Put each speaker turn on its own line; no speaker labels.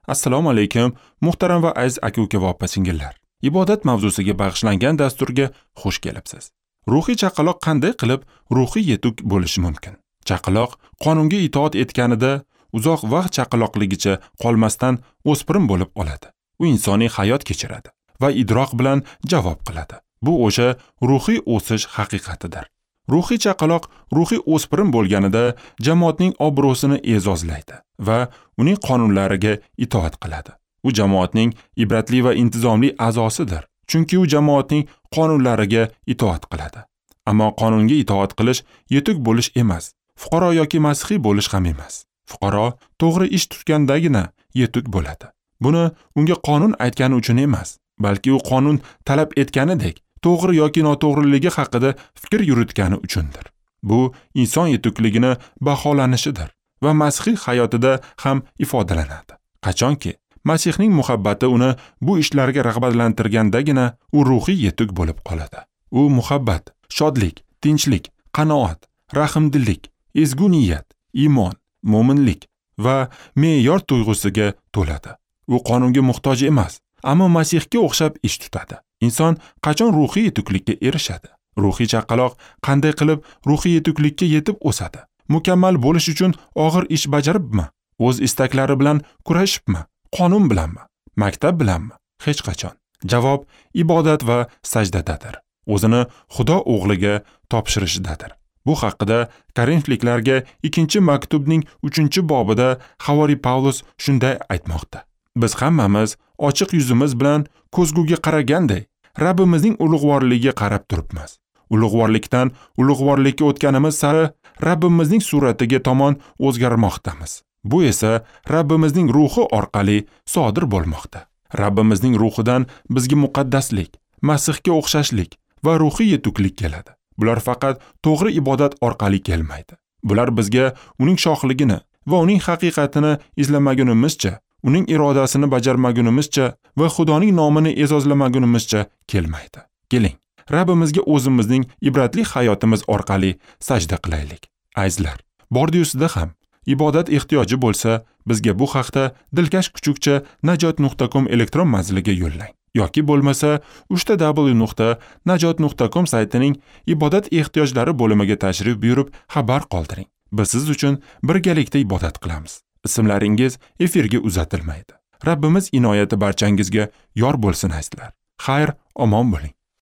Assalomu alaykum, muhtaram va aziz aka-uka va opa-singillar. Ibodat mavzusiga bag'ishlangan dasturga xush kelibsiz. Ruhiy chaqaloq qanday qilib ruhiy yetuk bo'lishi mumkin? Chaqaloq qonunga itoat etganida uzoq vaqt chaqaloqligicha qolmasdan o'spirim bo'lib oladi. U insoniy hayot kechiradi va idroq bilan javob qiladi. Bu o'sha ruhiy o'sish haqiqatidir. Ruhiy chaqaloq ruhiy o'spirim bo'lganida jamoatning obro'sini e'zozlaydi va uning qonunlariga itoat qiladi. U jamoatning ibratli va intizomli a'zosidir, chunki u jamoatning qonunlariga itoat qiladi. Ammo qonunga itoat qilish yetuk bo'lish emas, fuqaro yoki masihiy bo'lish ham emas. Fuqaro to'g'ri ish tutgandagina yetuk bo'ladi. Buni unga qonun aytgani uchun emas, balki u qonun talab etganidek to'g'ri yoki noto'g'riligi haqida fikr yuritgani uchundir. Bu inson yetukligini baholanishidir va masihiy hayotida ham ifodalanadi. Qachonki Masihning muhabbati uni bu ishlarga rag'batlantirgandagina u ruhiy yetuk bo'lib qoladi. U muhabbat, shodlik, tinchlik, qanoat, rahmdillik, ezgu niyat, iymon, mo'minlik va me'yor tuyg'usiga to'ladi. U qonunga muhtoj emas, ammo Masihga o'xshab ish tutadi. Inson qachon ruhiy yetuklikka erishadi? Ruhiy chaqaloq qanday qilib ruhiy yetuklikka yetib o'sadi? Mukammal bo'lish uchun og'ir ish bajaribmi? O'z istaklari bilan kurashibmi? Qonun bilanmi? Maktab bilanmi? Hech qachon. Javob ibodat va sajdadadir. O'zini Xudo o'g'liga topshirishidadir. Bu haqida Korinfliklarga 2-maktubning 3-bobida Havoriy Pavlus shunday aytmoqda. Biz hammamiz ochiq yuzimiz bilan ko'zguga qaraganday Rabbimizning ulug'vorligiga qarab turibmiz. Ulug'vorlikdan ulug'vorlikka o'tganimiz sari Rabbimizning suratiga tomon o'zgarmoqdamiz. Bu esa Rabbimizning ruhi orqali sodir bo'lmoqda. Rabbimizning ruhidan bizga muqaddaslik, Masihga o'xshashlik va ruhiy yetuklik keladi. Bular faqat to'g'ri ibodat orqali kelmaydi. Bular bizga uning shohligini va uning haqiqatini izlamagunimizcha, uning irodasini bajarmagunimizcha va Xudoning nomini e'zozlamagunimizcha kelmaydi. Keling, Rabbimizga o'zimizning ibratli hayotimiz orqali sajda qilaylik. Azizlar, bordi-yusida ham ibodat ehtiyoji bo'lsa, bizga bu haqda dilkash kuchukcha najot.com elektron manziliga yo'llang yoki bo'lmasa www.najot.com saytining ibodat ehtiyojlari bo'limiga tashrif buyurib xabar qoldiring. Biz siz uchun birgalikda ibodat qilamiz. Ismlaringiz efirga uzatilmaydi. Rabbimiz inoyati barchangizga yor bo'lsin azizlar. Xayr, omon bo'ling.